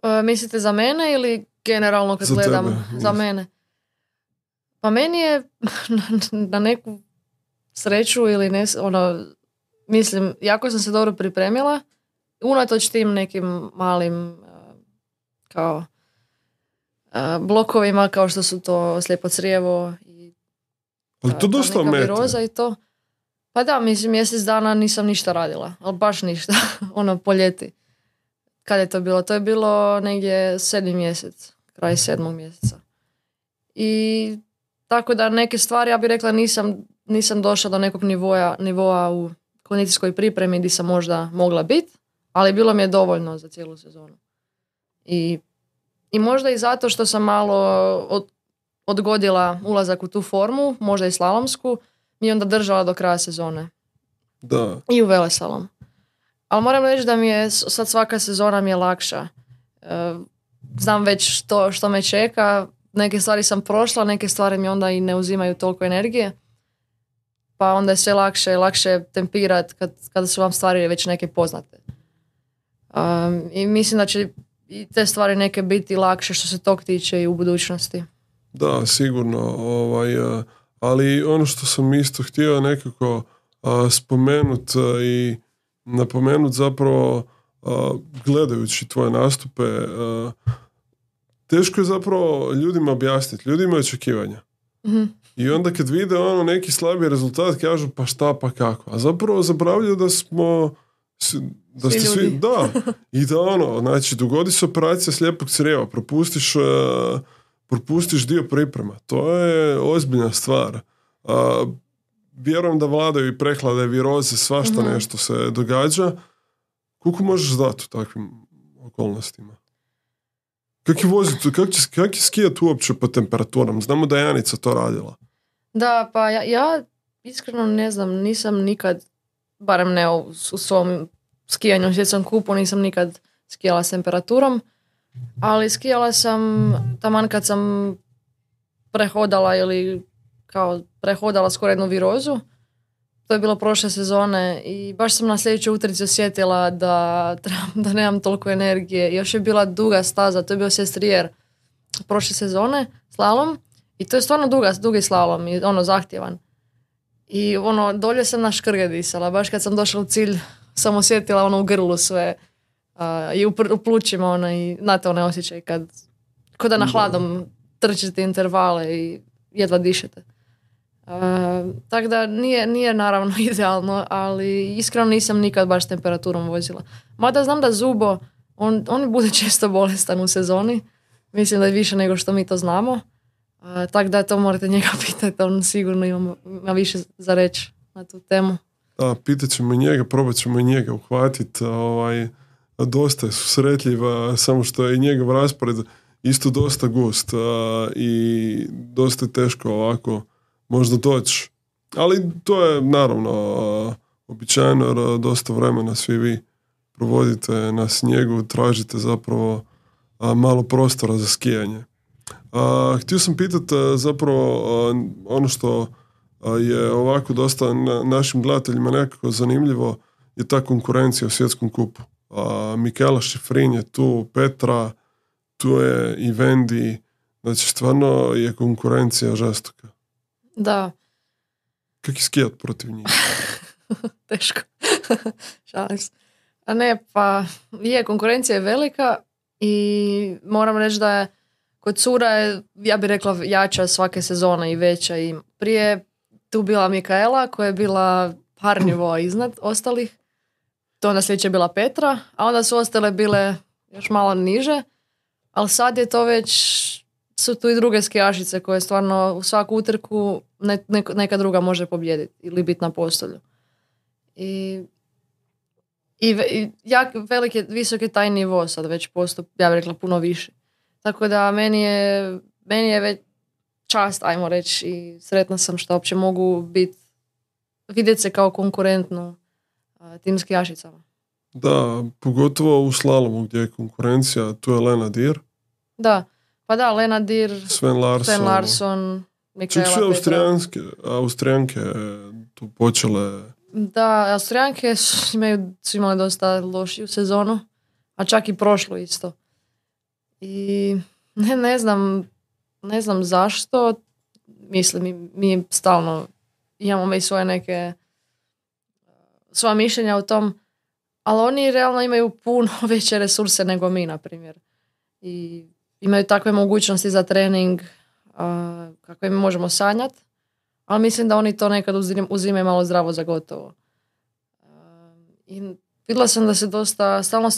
Uh, mislite za mene ili generalno kad za gledam? Tebe, za mene. Pa meni je na, na neku sreću ili ne, ono, mislim, jako sam se dobro pripremila, unatoč tim nekim malim uh, kao uh, blokovima kao što su to slijepo crijevo i ali to dosta omete. Viroza i to. Pa da, mislim, mjesec dana nisam ništa radila, ali baš ništa, ono po ljeti. Kad je to bilo? To je bilo negdje sedmi mjesec, kraj sedmog mjeseca. I tako da neke stvari, ja bih rekla, nisam, nisam došla do nekog nivoa, nivoa u kondicijskoj pripremi gdje sam možda mogla biti, ali bilo mi je dovoljno za cijelu sezonu. I, i možda i zato što sam malo od, odgodila ulazak u tu formu, možda i slalomsku, mi je onda držala do kraja sezone. Da. I u veleslalom. Ali moram reći da mi je sad svaka sezona mi je lakša. Znam već što, što me čeka. Neke stvari sam prošla, neke stvari mi onda i ne uzimaju toliko energije. Pa onda je sve lakše, lakše tempirati kad, kada su vam stvari već neke poznate. Um, I mislim da će i te stvari neke biti lakše što se tog tiče i u budućnosti. Da, sigurno. Ovaj, ali ono što sam isto htio nekako spomenut i napomenut zapravo gledajući tvoje nastupe, teško je zapravo ljudima objasniti. Ljudi imaju očekivanja. Mm-hmm. I onda kad vide ono neki slabi rezultat kažu pa šta pa kako. A zapravo zaboravljaju da smo da svi ste svi, da, i da ono, znači dogodi se operacija slijepog crijeva, propustiš uh, propustiš dio priprema. To je ozbiljna stvar. Uh, vjerujem da vladaju i prehlade, viroze, svašta mm-hmm. nešto se događa. Koliko možeš dati u takvim okolnostima? Kako je voziti, kako će, kak je skijati uopće po temperaturam? Znamo da je Janica to radila. Da, pa ja, ja iskreno ne znam, nisam nikad, barem ne u, u svom skijanju u svjetskom kupu, nisam nikad skijala s temperaturom, ali skijala sam taman kad sam prehodala ili kao prehodala skoro jednu virozu. To je bilo prošle sezone i baš sam na sljedećoj utrci osjetila da, da nemam toliko energije. Još je bila duga staza, to je bio sestrijer prošle sezone, slalom. I to je stvarno duga, dugi slalom i ono zahtjevan. I ono, dolje sam na škrge disala. Baš kad sam došla u cilj, sam osjetila ono u grlu sve. Uh, I u, pr- u plućima ono, i znate onaj osjećaj kad kod da na hladom trčite intervale i jedva dišete. Uh, tako da nije, nije naravno idealno, ali iskreno nisam nikad baš s temperaturom vozila. Mada znam da Zubo, on, on bude često bolestan u sezoni. Mislim da je više nego što mi to znamo. Uh, tako da to morate njega pitati, on sigurno ima, ima više za reći na tu temu. Da, pitat ćemo njega, probat ćemo i njega uhvatiti. Ovaj, dosta je susretljiv, samo što je i njegov raspored isto dosta gust uh, i dosta je teško ovako možda doći. Ali to je naravno uh, običajno jer uh, dosta vremena svi vi provodite na snijegu, tražite zapravo uh, malo prostora za skijanje. A, htio sam pitati zapravo a, ono što a, je ovako dosta na, našim gledateljima nekako zanimljivo je ta konkurencija u svjetskom kupu. A, Mikaela Šifrin je tu, Petra, tu je i Vendi, znači stvarno je konkurencija žestoka. Da. Kako je skijat protiv njih? Teško. Šalim se. A ne, pa je, konkurencija je velika i moram reći da je kod cura je, ja bih rekla, jača svake sezone i veća. I prije tu bila Mikaela koja je bila par nivoa iznad ostalih. To onda sljedeće je bila Petra, a onda su ostale bile još malo niže. Ali sad je to već, su tu i druge skijašice koje stvarno u svaku utrku ne, neka, neka druga može pobijediti ili biti na postolju. I, i, i jak, velik je, visok je taj nivo sad već postup, ja bih rekla puno više. Tako da meni je, meni je već čast, ajmo reći, i sretna sam što uopće mogu biti, vidjeti se kao konkurentnu a, tim skijašicama. Da, pogotovo u slalomu gdje je konkurencija, tu je Lena Dir. Da, pa da, Lena Dir, Sven Larsson, Sven Larsson, Mikaela Petra. Čak su Austrijanske, Austrijanke tu počele. Da, Austrijanke su, imaju, su imale dosta lošiju sezonu, a čak i prošlu isto. I ne, ne znam, ne znam zašto, mislim, mi, mi stalno imamo i svoje neke, svoja mišljenja o tom, ali oni realno imaju puno veće resurse nego mi, na primjer. I imaju takve mogućnosti za trening a, kakve mi možemo sanjati, ali mislim da oni to nekad uzimaju malo zdravo za gotovo. A, I vidjela sam da se dosta, stalno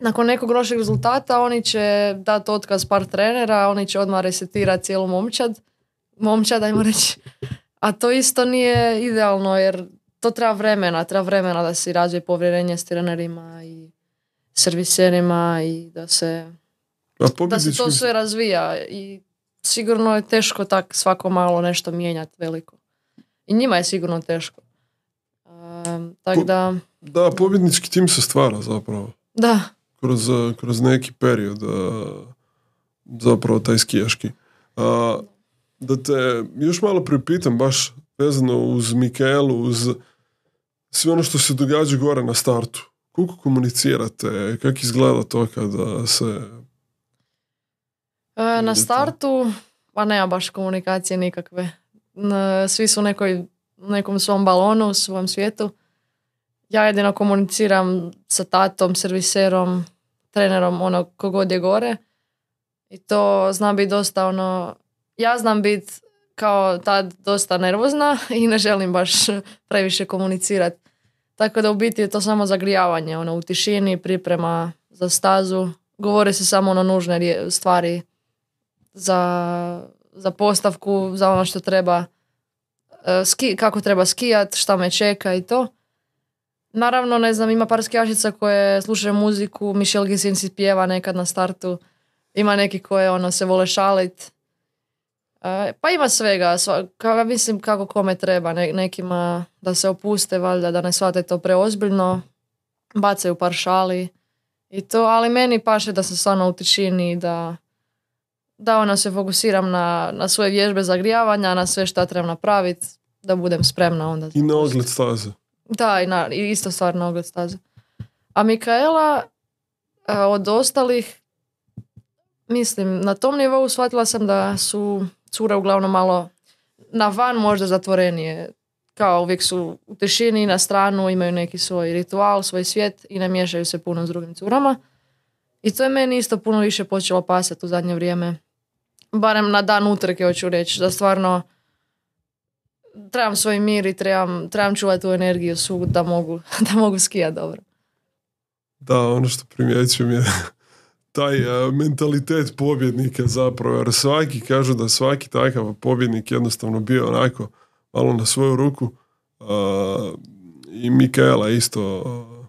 nakon nekog lošeg rezultata oni će dati otkaz par trenera, oni će odmah resetirati cijelu momčad, momčad, ajmo reći. A to isto nije idealno, jer to treba vremena, treba vremena da se razvije povjerenje s trenerima i serviserima i da se, da se to sve razvija. I sigurno je teško tak svako malo nešto mijenjati veliko. I njima je sigurno teško. Um, tak da... Da, pobjednički tim se stvara zapravo. Da. Kroz, kroz neki period zapravo taj skijaški. A, da te još malo pripitam baš vezano uz Mikaelu, uz sve ono što se događa gore na startu. Koliko komunicirate? Kako izgleda to kada se... E, na startu pa nema baš komunikacije nikakve. Svi su u nekoj, nekom svom balonu, u svom svijetu. Ja jedino komuniciram sa tatom, serviserom, trenerom, ono, kogod je gore. I to znam biti dosta, ono... Ja znam biti kao tad dosta nervozna i ne želim baš previše komunicirati. Tako da u biti je to samo zagrijavanje, ono, u tišini, priprema za stazu. Govore se samo ono nužne stvari za, za postavku, za ono što treba, ski, kako treba skijati, šta me čeka i to. Naravno, ne znam, ima par skijašica koje slušaju muziku, Michelle Gissin si pjeva nekad na startu, ima neki koje ono, se vole šalit. E, pa ima svega, sva, ka, mislim kako kome treba, ne, nekima da se opuste, valjda, da ne shvate to preozbiljno, bacaju par šali i to, ali meni paše da sam stvarno u tišini, da, da ono, se fokusiram na, na svoje vježbe zagrijavanja, na sve što trebam napraviti, da budem spremna onda. I na ogled staze. Da, i, na, i isto stvar na ogled staze. A Mikaela, od ostalih, mislim, na tom nivou shvatila sam da su cure uglavnom malo na van možda zatvorenije. Kao uvijek su u tišini, na stranu, imaju neki svoj ritual, svoj svijet i ne miješaju se puno s drugim curama. I to je meni isto puno više počelo pasati u zadnje vrijeme. Barem na dan utrke, hoću reći, da stvarno trebam svoj mir i trebam, trebam čuvati tu energiju svu da mogu, da mogu skijati dobro. Da, ono što primjećujem je taj uh, mentalitet pobjednika zapravo, jer svaki kažu da svaki takav pobjednik jednostavno bio onako malo na svoju ruku uh, i Mikaela isto. Uh.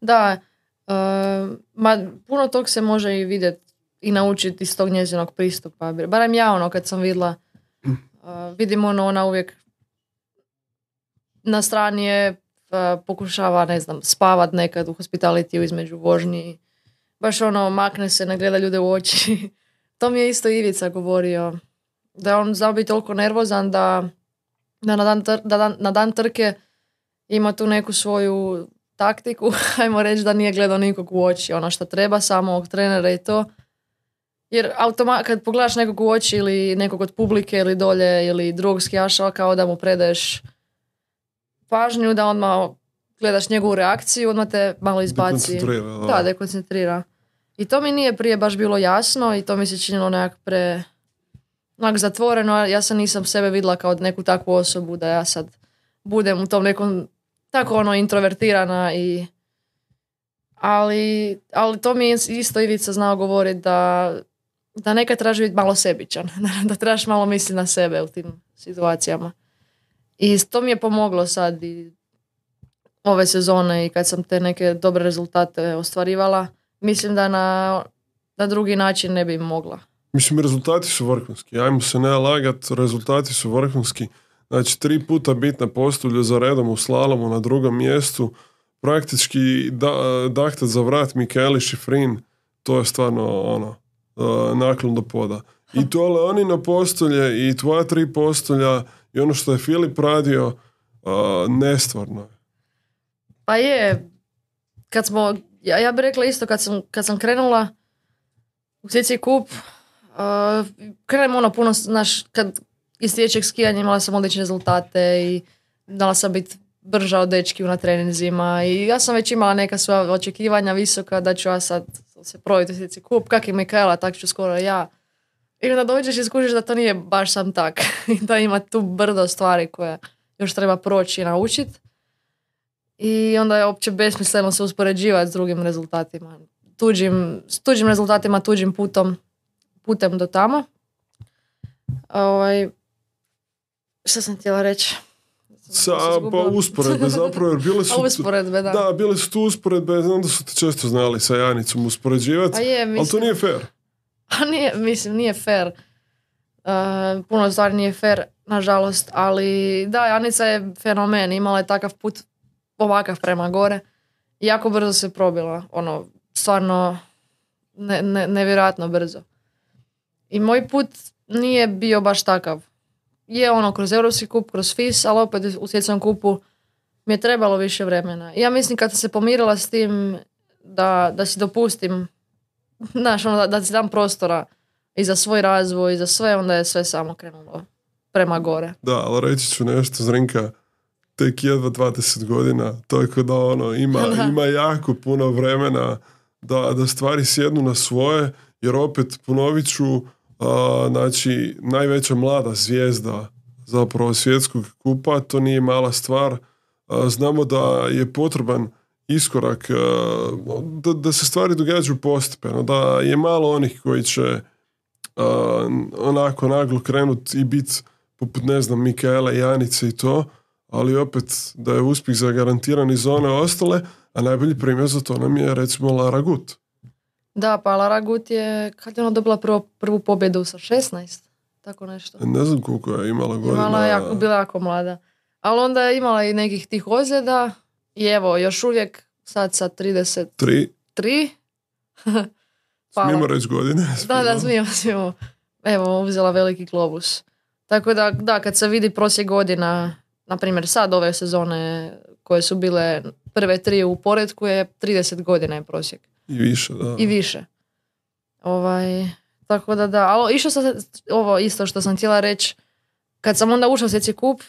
Da, uh, ma, puno tog se može i vidjeti i naučiti iz tog njezinog pristupa. Barem ja ono kad sam vidjela, uh, vidim ono, ona uvijek na strani je, uh, pokušava, ne znam, spavat nekad u hospitalitiju između vožnji. Baš ono, makne se, ne gleda ljude u oči. To mi je isto Ivica govorio. Da je on znao biti toliko nervozan da, da, na, dan tr- da dan, na dan trke ima tu neku svoju taktiku. Ajmo reći da nije gledao nikog u oči. Ono što treba, samo ovog trenera i to. Jer automa- kad pogledaš nekog u oči ili nekog od publike ili dolje ili drugog skijaša, kao da mu predaješ pažnju, da odmah gledaš njegovu reakciju, odmah te malo izbaci. Dekoncentrira, da. Da, dekoncentrira. I to mi nije prije baš bilo jasno i to mi se činilo nekak pre onak zatvoreno. Ja sam nisam sebe vidjela kao neku takvu osobu da ja sad budem u tom nekom tako ono introvertirana i ali, ali to mi je isto Ivica znao govoriti da, da nekad trebaš biti malo sebičan, da trebaš malo misliti na sebe u tim situacijama. I to mi je pomoglo sad i ove sezone i kad sam te neke dobre rezultate ostvarivala, mislim da na, na drugi način ne bi mogla. Mislim, rezultati su vrhunski. Ajmo se ne lagat, rezultati su vrhunski. Znači, tri puta bit na postolju za redom u slalomu na drugom mjestu, praktički da, dahtat za vrat Mikaeli Šifrin, to je stvarno ono, naklon do poda. I tole oni na postolje i tvoja tri postolja i ono što je Filip radio, nestvarno je. Pa je, kad smo, ja, ja bih rekla isto, kad sam, kad sam krenula u C C Cup, uh, krenemo ono puno, znaš, kad iz dječjeg skijanja imala sam odlične rezultate i dala sam biti brža od dečki na treninzima i ja sam već imala neka svoja očekivanja visoka da ću ja sad se probiti u C C Cup, kak je Mikaela, tak ću skoro ja. I onda dođeš i skužiš da to nije baš sam tak. I da ima tu brdo stvari koje još treba proći i naučiti. I onda je opće besmisleno se uspoređivati s drugim rezultatima. Tuđim, s tuđim rezultatima, tuđim putom, putem do tamo. Ovaj, što sam htjela reći? Sa, pa usporedbe zapravo, jer bile su, usporedbe, da. Da, bile su tu usporedbe, znam da su te često znali sa Janicom uspoređivati, ali to nije fair. A nije, mislim, nije fair. Uh, puno stvari nije fair, nažalost, ali da, Janica je fenomen, imala je takav put ovakav prema gore i jako brzo se probila, ono, stvarno ne, ne, nevjerojatno brzo. I moj put nije bio baš takav. Je ono kroz Europski kup, kroz F I S, ali opet u svjetskom kupu mi je trebalo više vremena. I ja mislim kad sam se pomirila s tim da, da si dopustim, znaš, ono, da, da si dam prostora i za svoj razvoj, i za sve, onda je sve samo krenulo prema gore. Da, ali reći ću nešto, Zrinka, tek jedva dvadeset godina, tako da ono, ima, ima jako puno vremena da, da stvari sjednu na svoje, jer opet ponovit ću, a, znači, najveća mlada zvijezda zapravo svjetskog kupa, to nije mala stvar. A, znamo da je potreban iskorak, a, da, da se stvari događaju postepeno, da je malo onih koji će a, onako naglo krenuti i biti poput, ne znam, Mikaela, Janice i to, ali opet da je uspjeh zagarantiran i za one ostale, a najbolji primjer za to nam je recimo Lara Gut. Da, pa Lara Gut je, kad je ona dobila prvo, prvu pobjedu sa šesnaest, tako nešto. Ne znam koliko je imala godina. Imala jako, bila jako mlada. Ali onda je imala i nekih tih ozljeda i evo, još uvijek sad sa trideset tri. Tri? Smijemo reći godine. Da, da, smijemo, smijemo. Evo, uzela veliki globus. Tako da, da, kad se vidi prosjek godina, na primjer sad ove sezone koje su bile prve tri u poretku je trideset godina je prosjek. I više, da. I više. Ovaj, tako da da, ali išlo sam, ovo isto što sam htjela reći, kad sam onda ušla u C C Cup,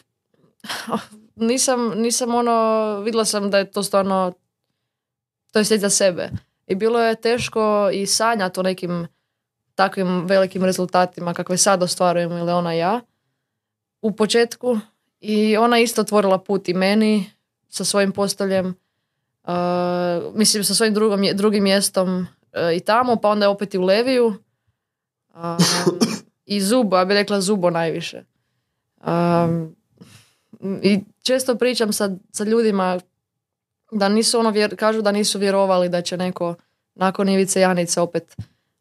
nisam, nisam ono, vidjela sam da je to stvarno, to je svijet za sebe. I bilo je teško i sanjati o nekim takvim velikim rezultatima kakve sad ostvarujemo ili ona ja u početku. I ona isto otvorila put i meni sa svojim postoljem, uh, mislim sa svojim drugom, drugim mjestom uh, i tamo, pa onda opet i u Leviju. Um, I Zubo, ja bih rekla Zubo najviše. Um, I često pričam sa, sa ljudima da nisu ono, vjer, kažu da nisu vjerovali da će neko nakon Ivice Janice opet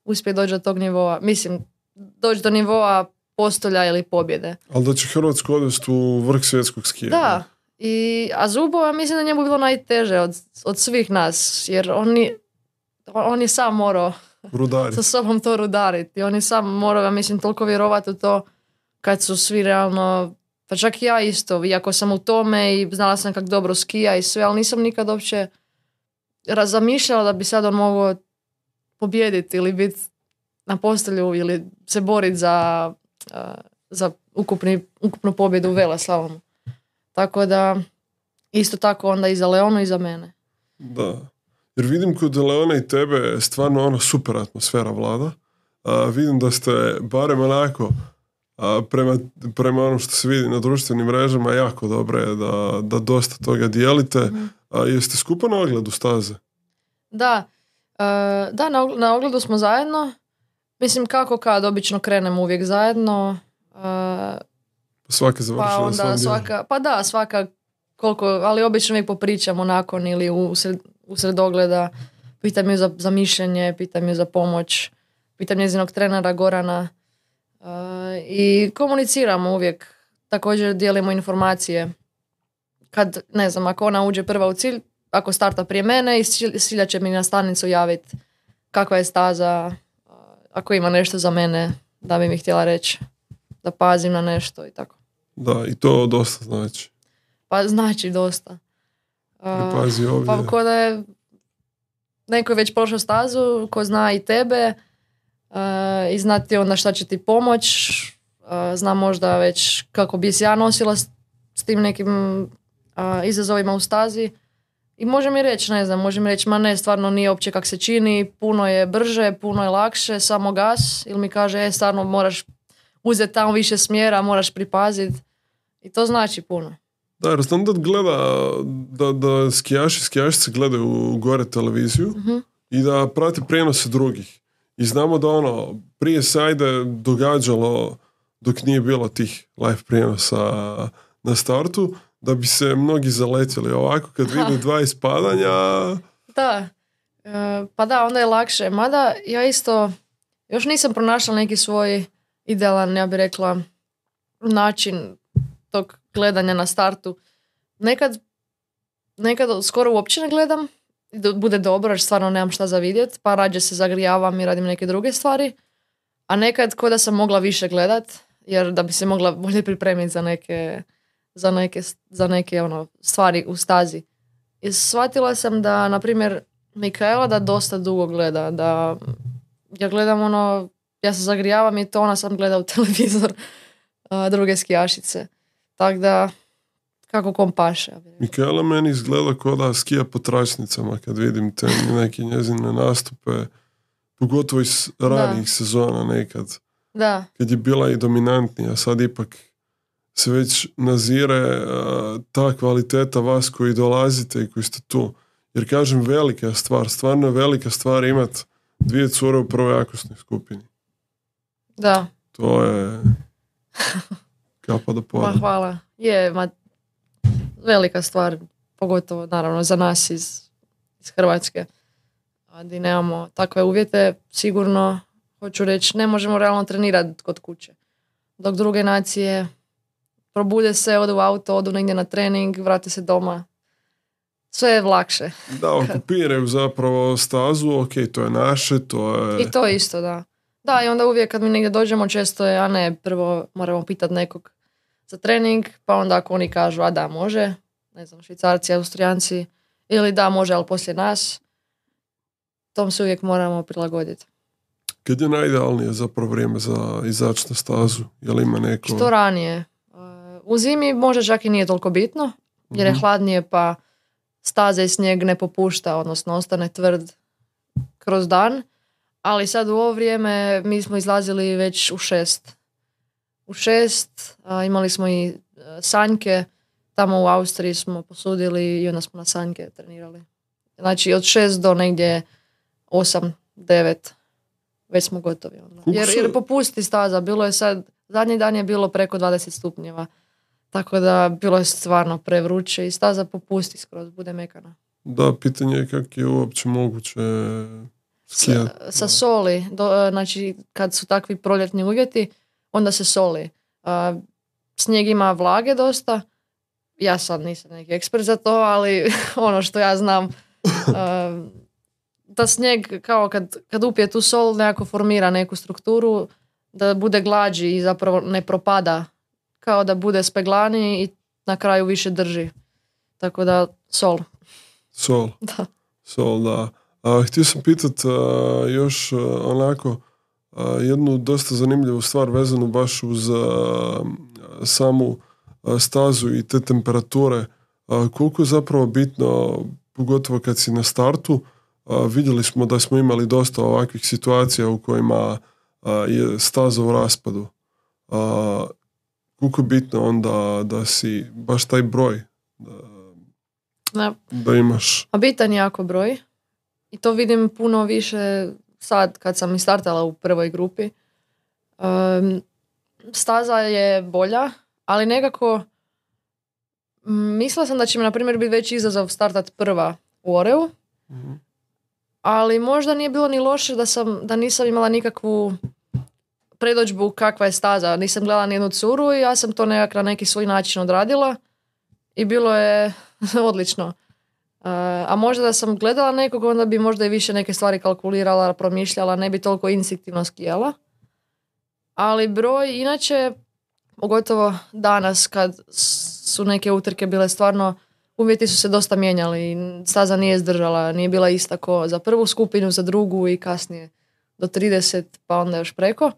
uspjeti doći do tog nivoa. Mislim, doći do nivoa postolja ili pobjede. Ali da će Hrvatsku odvesti u vrh svjetskog skijanja. Da. I, a Zubo, ja mislim da njemu bilo najteže od, od svih nas, jer on, on je sam morao Rudari. sa sobom to rudariti. Oni sam moraju, ja mislim, toliko vjerovati u to kad su svi realno, pa čak i ja isto, iako sam u tome i znala sam kako dobro skija i sve, ali nisam nikad uopće razmišljala da bi sad on mogao pobijediti ili biti na postelju ili se boriti za, za ukupni, ukupnu pobjedu u veleslalomu. Tako da, isto tako onda i za Leonu i za mene. Da. Jer vidim kod Leona i tebe stvarno ono super atmosfera vlada. A, vidim da ste barem onako a, prema, prema onom što se vidi na društvenim mrežama jako dobro je da, da dosta toga dijelite. Mm-hmm. A, jeste skupa na ogledu staze? Da. Uh, da, na, na ogledu smo zajedno. Mislim kako kad obično krenemo uvijek zajedno. Uh, svaka završila pa onda svaka, pa da, svaka koliko, ali obično uvijek popričamo nakon ili usred, usred ogleda. Pitam ju za, za mišljenje, pitam ju za pomoć, pitam njezinog trenera Gorana uh, i komuniciramo uvijek. Također dijelimo informacije. Kad, ne znam, ako ona uđe prva u cilj, ako starta prije mene, i Silja će mi na stanicu javiti kakva je staza, uh, ako ima nešto za mene da bi mi htjela reći, da pazim na nešto i tako. Da, i to dosta znači. Pa znači dosta. Uh, Pazi ovdje. Pa ko da je neko je već prošao stazu, ko zna i tebe uh, i zna ti onda šta će ti pomoć, uh, zna možda već kako bi se ja nosila s, s tim nekim uh, izazovima u stazi i može mi reći, ne znam, može mi reći, ma ne, stvarno nije uopće kak se čini, puno je brže, puno je lakše, samo gas, ili mi kaže, e, stvarno moraš uzeti tamo više smjera, moraš pripaziti i to znači puno. Da, jer znam da gleda, da, da skijaši, skijašice gledaju gore televiziju uh-huh. i da prate prijenose drugih. I znamo da ono, prije se ajde događalo, dok nije bilo tih live prijenosa na startu, da bi se mnogi zaletjeli. Ovako kad vide dva ispadanja... Da, e, pa da, onda je lakše. Mada ja isto, još nisam pronašla neki svoj idealan, ja bih rekla, način tog gledanja na startu. Nekad, nekad skoro uopće ne gledam, bude dobro jer stvarno nemam šta za vidjet, pa rađe se zagrijavam i radim neke druge stvari, a nekad ko da sam mogla više gledat, jer da bi se mogla bolje pripremiti za neke, za neke, za neke ono, stvari u stazi. I shvatila sam da, na primjer, Mikaela da dosta dugo gleda, da ja gledam ono, ja se zagrijavam i to ona sam gleda u televizor a, druge skijašice. Tako da, kako kom paše. Mikaela meni izgleda kao da skija po tračnicama kad vidim te neke njezine nastupe, pogotovo iz ranijih sezona nekad. Da. Kad je bila i dominantnija, sad ipak se već nazire uh, ta kvaliteta vas koji dolazite i koji ste tu. Jer kažem, velika je stvar, stvarno je velika stvar imat dvije cure u prvoj jakosnoj skupini. Da. To je... Kapa da poda. Ma hvala. Je, ma, velika stvar, pogotovo naravno za nas iz, iz Hrvatske. A di nemamo takve uvjete, sigurno, hoću reći, ne možemo realno trenirati kod kuće. Dok druge nacije probude se, odu u auto, odu negdje na trening, vrate se doma. Sve je lakše. Da, okupiraju zapravo stazu, ok, to je naše, to je... I to isto, da. Da, i onda uvijek kad mi negdje dođemo, često je, a ne, prvo moramo pitati nekog za trening, pa onda ako oni kažu, a da, može, ne znam, Švicarci, Austrijanci, ili da, može, ali poslije nas, tom se uvijek moramo prilagoditi. Kad je najidealnije zapravo vrijeme za izaći na stazu? Je li ima neko... Što ranije. U zimi možda čak i nije toliko bitno, jer je hladnije, pa staza i snijeg ne popušta, odnosno ostane tvrd kroz dan. Ali sad u ovo vrijeme mi smo izlazili već u šest. U šest a, imali smo i a, sanjke. Tamo u Austriji smo posudili i onda smo na sanjke trenirali. Znači od šest do negdje osam, devet već smo gotovi. Onda. Jer, jer popusti staza. Bilo je sad, zadnji dan je bilo preko dvadeset stupnjeva. Tako da bilo je stvarno prevruće i staza popusti skroz, bude mekana. Da, pitanje je kako je uopće moguće... Sa, sa soli, do, znači kad su takvi proljetni uvjeti, onda se soli. Uh, snijeg ima vlage dosta, ja sad nisam neki ekspert za to, ali ono što ja znam, uh, da snijeg kao kad, kad upije tu sol nekako formira neku strukturu da bude glađi i zapravo ne propada, kao da bude speglaniji i na kraju više drži. Tako da sol. Sol. Da. Sol, da. A, htio sam pitat a, još a, onako a, jednu dosta zanimljivu stvar vezanu baš uz a, samu a, stazu i te temperature. A, koliko je zapravo bitno, pogotovo kad si na startu, a, vidjeli smo da smo imali dosta ovakvih situacija u kojima a, je staza u raspadu. A, koliko je bitno onda da si baš taj broj da, Da. da imaš. A bitan je jako broj. I to vidim puno više sad kad sam i startala u prvoj grupi. Um, staza je bolja, ali nekako m, mislila sam da će mi na primjer biti veći izazov startat prva u Oreu. Mm-hmm. Ali možda nije bilo ni loše da, sam, da nisam imala nikakvu predođbu kakva je staza. Nisam gledala ni jednu curu i ja sam to nekak na neki svoj način odradila i bilo je odlično. Uh, a možda da sam gledala nekog, onda bi možda i više neke stvari kalkulirala, promišljala, ne bi toliko instinktivno skijala. Ali broj, inače, pogotovo danas kad su neke utrke bile stvarno, uvjeti su se dosta mijenjali. Staza nije zdržala, nije bila ista ko za prvu skupinu, za drugu i kasnije do trideset, pa onda još preko.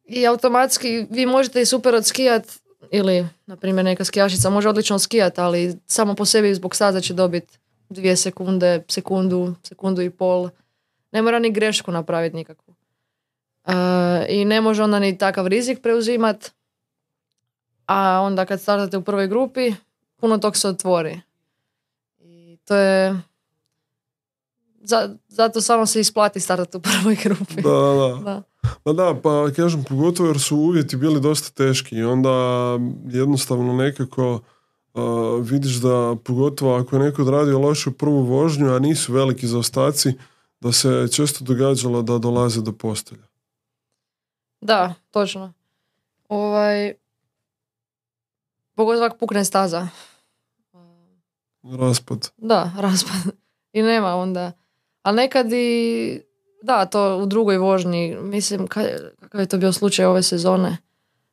I automatski vi možete i super odskijat, ili, na primjer, neka skijašica može odlično skijat, ali samo po sebi zbog staza će dobiti dvije sekunde, sekundu, sekundu i pol. Ne mora ni grešku napraviti nikakvu. Uh, I ne može onda ni takav rizik preuzimat. A onda kad startate u prvoj grupi, puno tog se otvori. I to je... Zato samo se isplati startati u prvoj grupi. Da, da, da. Da. Pa da, pa kažem, pogotovo jer su uvjeti bili dosta teški i onda jednostavno nekako uh, vidiš da, pogotovo ako je neko odradio lošu prvu vožnju, a nisu veliki zaostaci, da se često događalo da dolaze do postelja. Da, točno. Ovaj... Pogotovo ako pukne staza. Raspad. Da, raspad. I nema onda. A nekad i... Da, to u drugoj vožnji. Mislim, kakav je to bio slučaj ove sezone.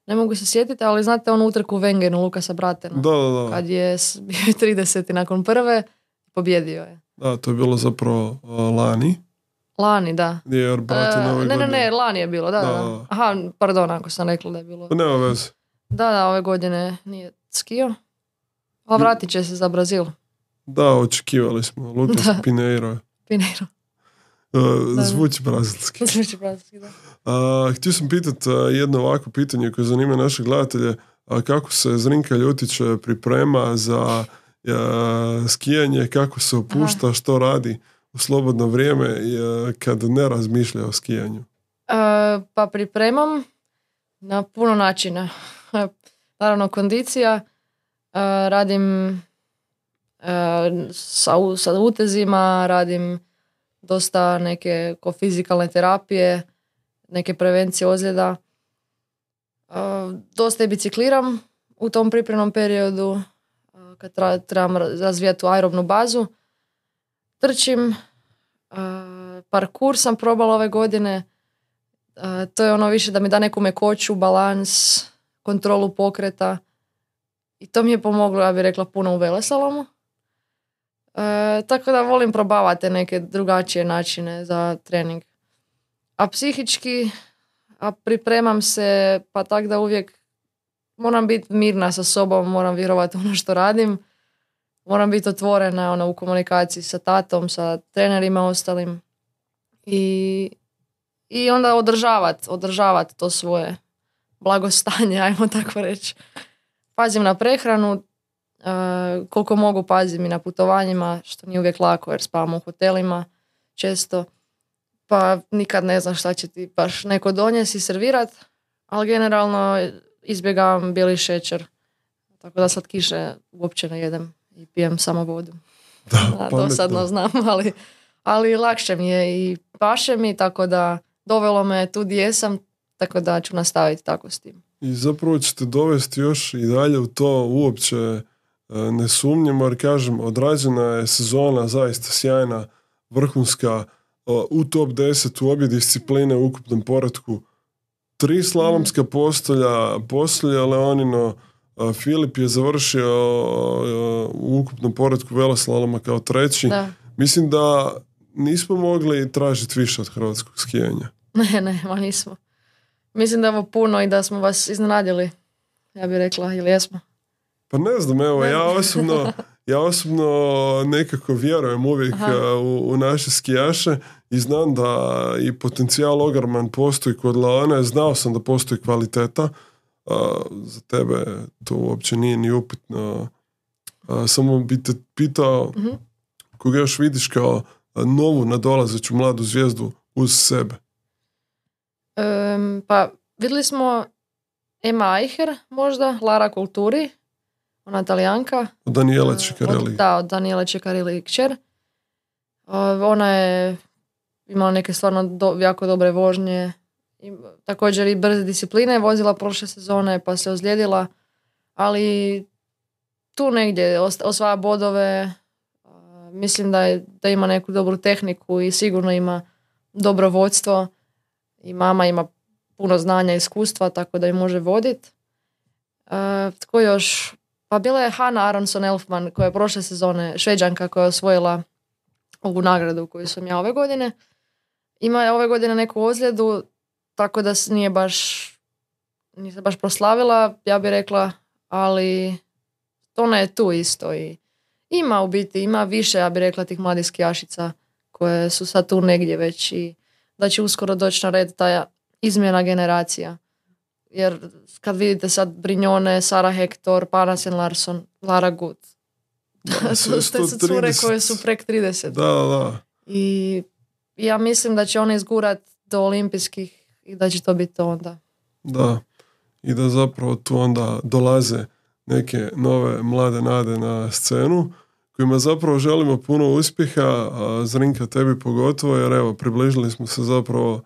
Ne mogu se sjetiti, ali znate onu utrku u Wengenu, Lukasa Bratena. Da, da, da. Kad je bio trideset nakon prve, pobjedio je. Da, to je bilo zapravo uh, lani. Lani, da. Gdje je Braten ove uh, godine. Ne, ne, ne, lani je bilo, da, da. da. Aha, pardon, ako sam rekla da je bilo. Pa nema veze. Da, da, ove godine nije skio. A vratit će se za Brazil. Da, očekivali smo. Lucas Da. Pinheiro. Pinheiro. Uh, zvuči brazilski. Zvuči brazilski, da. Uh, htio sam pitat uh, jedno ovako pitanje koje zanima naše gledatelje. Uh, kako se Zrinka Ljutić priprema za uh, skijanje, kako se opušta, aha, što radi u slobodno vrijeme uh, kad ne razmišlja o skijanju? Uh, pa pripremam na puno načina. Naravno, kondicija. Uh, radim uh, sa, sa utezima, radim dosta neke ko fizikalne terapije, neke prevencije ozljeda. Uh, dosta i bicikliram u tom pripremnom periodu uh, kad tra, trebam razvijati tu aerobnu bazu. Trčim. Uh, parkour sam probala ove godine. Uh, to je ono više da mi da neku mekoću, balans, kontrolu pokreta. I to mi je pomoglo, ja bih rekla, puno u veleslalomu. E, tako da volim probavati neke drugačije načine za trening. A psihički a pripremam se pa tak da uvijek moram biti mirna sa sobom, moram vjerovati ono što radim. Moram biti otvorena ono, u komunikaciji sa tatom, sa trenerima ostalim. I, i onda održavati održavat to svoje blagostanje, ajmo tako reći. Pazim na prehranu, uh, koliko mogu pazim i na putovanjima, što nije uvijek lako jer spavam u hotelima često. Pa nikad ne znam šta će ti baš neko donijeti i servirat, ali generalno izbjegavam bijeli šećer. Tako da sad kiše uopće ne jedem i pijem samo vodu. Da, dosadno znam, ali, ali lakše mi je i paše mi, tako da dovelo me tu gdje jesam, tako da ću nastaviti tako s tim. I zapravo ćete dovesti još i dalje u to, uopće ne sumnjamo, jer kažem, odrađena je sezona zaista sjajna vrhunska, u top deset u obje discipline u ukupnom poretku. Tri slalomska postolja, postolja Leonino, Filip je završio u ukupnom poretku veloslaloma kao treći. Da. Mislim da nismo mogli tražiti više od hrvatskog skijanja. Ne, ne, ma nismo. Mislim da je ovo puno i da smo vas iznenadili, ja bih rekla, ili jesmo? Pa ne znam, evo, ja osobno, ja osobno nekako vjerujem uvijek u, u naše skijaše i znam da i potencijal ogroman postoji kod Leone, znao sam da postoji kvaliteta, a, za tebe to uopće nije ni upitno. A, samo bi te pitao, mm-hmm. koga još vidiš kao novu nadolazeću mladu zvijezdu uz sebe? Um, pa vidjeli smo Emma Eicher možda, Lara Kulturi, ona Talijanka. Od Daniele Ceccarelli. Da, od Daniele Ceccarelli kćer. Uh, ona je imala neke stvarno do, jako dobre vožnje. I, također i brze discipline vozila prošle sezone pa se ozlijedila. Ali tu negdje osvaja bodove. Uh, mislim da, je, da ima neku dobru tehniku i sigurno ima dobro vodstvo. I mama ima puno znanja i iskustva, tako da ju može voditi. Uh, tko još? Pa bila je Hanna Aronson-Elfman, koja je prošle sezone Šveđanka, koja je osvojila ovu nagradu koju sam ja ove godine. Ima je ove godine neku ozljedu, tako da nije baš, nije se baš proslavila, ja bih rekla, ali ona je tu isto. I ima u biti, ima više, ja bih rekla, tih mladih skijašica koje su sad tu negdje već i da će uskoro doći na red ta izmjena generacija. Jer kad vidite sad Brignone, Sara Hector, Panasen Larsson, Lara Gut, da, to su cure koje su prek trideset. Da, da. I ja mislim da će one izgurat do olimpijskih i da će to biti onda. Da, i da zapravo tu onda dolaze neke nove mlade nade na scenu kojima zapravo želimo puno uspjeha, a Zrinka tebi pogotovo, jer evo, približili smo se zapravo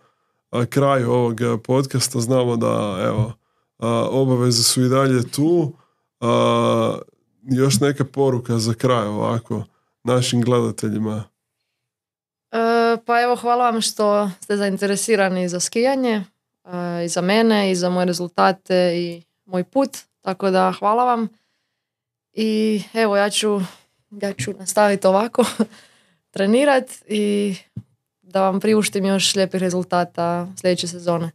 a, kraju ovog podcasta, znamo da evo, a, obaveze su i dalje tu. A, još neka poruka za kraj ovako našim gledateljima. E, pa evo, hvala vam što ste zainteresirani za skijanje, e, i za mene, i za moje rezultate i moj put, tako da hvala vam. I evo, ja ću ja ću nastaviti ovako trenirati i da vam priuštim još lijepih rezultata sljedeće sezone.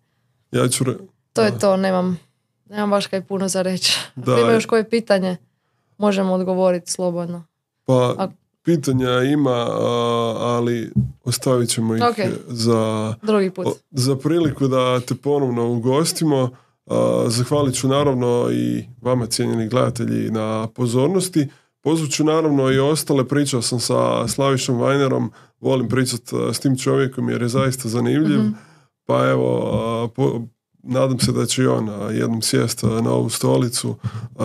Ja ću re... To je to, nemam, nemam baš kaj puno za reći. Ako ima još koje pitanje, možemo odgovoriti slobodno. Pa A... pitanja ima, ali ostavit ćemo ih okay. za, drugi put. Za priliku da te ponovno ugostimo. Zahvalit ću naravno i vama, cijenjeni gledatelji, na pozornosti. Pozvat ću naravno i ostale, pričao sam sa Slavišom Vajnerom, volim pričati s tim čovjekom jer je zaista zanimljiv, mm-hmm. pa evo, po, nadam se da će i on jednom sjest na ovu stolicu,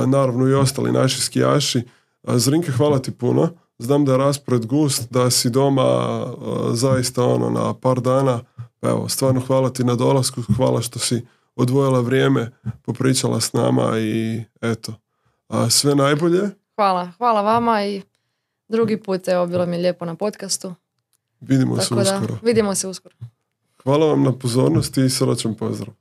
naravno i ostali naši skijaši. Zrinka, hvala ti puno, znam da je raspored gust, da si doma zaista ono na par dana, pa evo, stvarno hvala ti na dolasku, hvala što si odvojila vrijeme, popričala s nama i eto, sve najbolje. Hvala, hvala vama i drugi put, evo, bilo mi je lijepo na podcastu. Vidimo Tako se uskoro. Da, vidimo se uskoro. Hvala vam na pozornosti i srećan pozdrav.